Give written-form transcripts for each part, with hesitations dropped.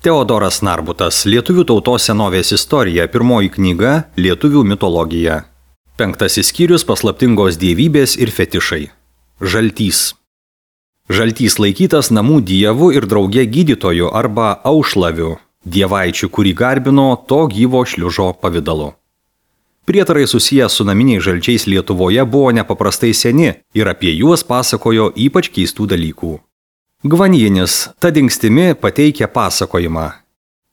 Teodoras Narbutas, Lietuvių tautos senovės istorija, pirmoji knyga Lietuvių mitologija. 5 skyrius paslaptingos dievybės ir fetišai. Žaltys. Žaltys laikytas namų dievu ir drauge gydytoju arba aušlaviu, dievaičiu, kurį garbino to gyvo šliužo pavidalu. Prietarai susiję su naminiais žalčiais Lietuvoje buvo nepaprastai seni ir apie juos pasakojo ypač keistų dalykų. Gvanjinis, ta dingstimi, pateikia pasakojimą.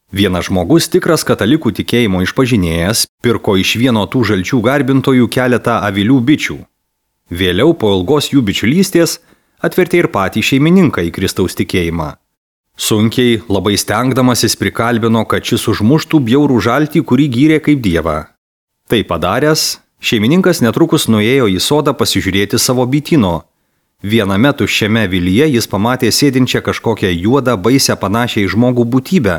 Vienas žmogus, tikras katalikų tikėjimo išpažinėjas, pirko iš vieno tų žalčių garbintojų keletą avilių bičių. Vėliau po ilgos jų bičiulystės atvertė ir patį šeimininką į Kristaus tikėjimą. Sunkiai, labai stengdamasis prikalbino, kad šis užmuštų bjaurų žaltį, kurį gyrė kaip dievą. Tai padaręs, šeimininkas netrukus nuėjo į sodą pasižiūrėti savo bityno. Viename tuščiame avilyje jis pamatė sėdinčią kažkokią juodą, baisią panašią į žmogų būtybę,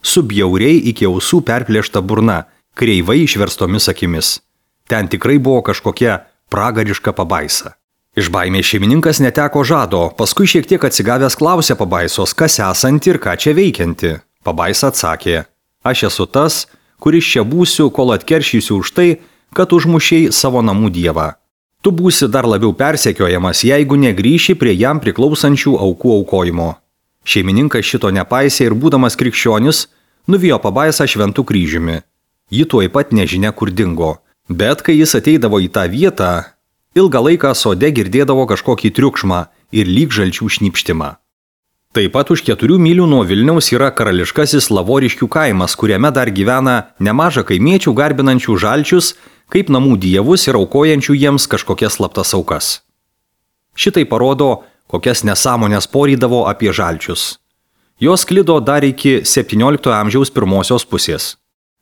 su bjauriai iki ausų perplėšta burna, kreivai išverstomis akimis. Ten tikrai buvo kažkokia pragariška pabaisa. Iš baimės šeimininkas neteko žado, paskui šiek tiek atsigavęs klausė pabaisos, kas esanti ir ką čia veikianti. Pabaisa atsakė: aš esu tas, kuris čia būsiu, kol atkeršysiu už tai, kad užmušei savo namų dievą. Tu būsi dar labiau persekiojamas, jeigu negrįši prie jam priklausančių aukų aukojimo. Šeimininkas šito nepaisė ir būdamas krikščionis, nuvijo pabaisą šventų kryžiumi. Ji tuoj pat nežinia kur dingo, bet kai jis ateidavo į tą vietą, ilgą laiką sode girdėdavo kažkokį triukšmą ir lyg žalčių šnypštimą. Taip pat už 4 mylių nuo Vilniaus yra karališkasis Lavoriškių kaimas, kuriame dar gyvena nemaža kaimiečių garbinančių žalčius, kaip namų dievus ir aukojančių jiems kažkokias slaptas aukas. Šitai parodo, kokias nesąmonės porydavo apie žalčius. Jos sklido dar iki 17 amžiaus pirmosios pusės.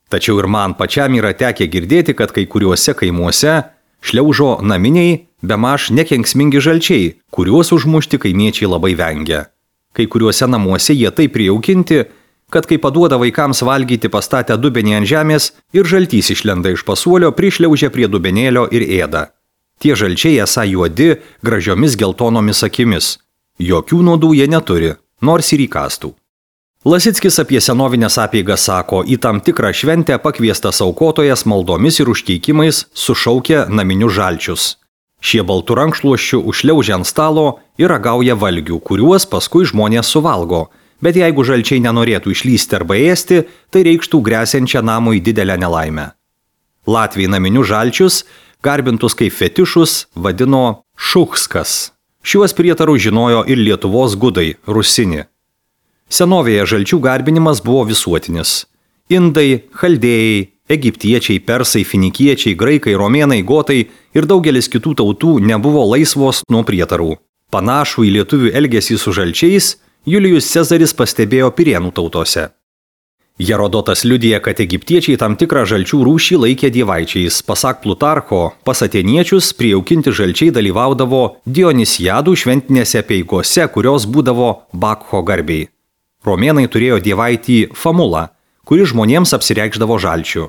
Tačiau ir man pačiam yra tekę girdėti, kad kai kuriuose kaimuose šliaužo naminiai, bemaž nekenksmingi žalčiai, kuriuos užmušti kaimiečiai labai vengia. Kai kuriuose namuose jie taip prijaukinti, kad kai paduoda vaikams valgyti pastatę dubenį ant žemės ir žaltys išlenda iš pasuolio, prišliaužia prie dubenėlio ir ėda. Tie žalčiai esą juodi, gražiomis geltonomis akimis. Jokių nuodų jie neturi, nors ir įkastų. Lasickis apie senovinės apeigas sako, į tam tikrą šventę pakviestas aukotojas maldomis ir užkeikimais sušaukia naminius žalčius. Šie baltų rankšluosčių užšliaužia ant stalo ir ragauja valgių, kuriuos paskui žmonės suvalgo. Bet jeigu žalčiai nenorėtų išlysti arba ėsti, tai reikštų gresiančią namui didelę nelaimę. Latviai naminius žalčius, garbintus kaip fetišus, vadino šuchskas. Šiuos prietarus žinojo ir Lietuvos gudai, rusini. Senovėje žalčių garbinimas buvo visuotinis. Indai, chaldėjai, egiptiečiai, persai, finikiečiai, graikai, romėnai, gotai ir daugelis kitų tautų nebuvo laisvos nuo prietarų. Panašų į lietuvių elgesį su žalčiais Julijus Cezaris pastebėjo Pirėnų tautose. Herodotas liudija, kad egiptiečiai tam tikrą žalčių rūšį laikė dievaičiais. Pasak Plutarcho, pas atėniečius prijaukinti žalčiai dalyvaudavo Dionisiadų šventinėse apeigose, kurios būdavo Bakcho garbiai. Romėnai turėjo dievaitį Famulą, kuri žmonėms apsireikšdavo žalčių.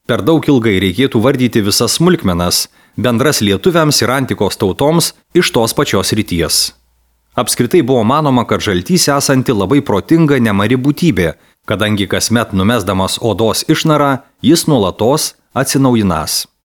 Per daug ilgai reikėtų vardyti visas smulkmenas, bendras lietuviams ir antikos tautoms iš tos pačios ryties. Apskritai buvo manoma, kad žaltys esanti labai protinga nemari būtybė, kadangi kasmet numesdamas odos išnarą, jis nuolatos atsinaujinas.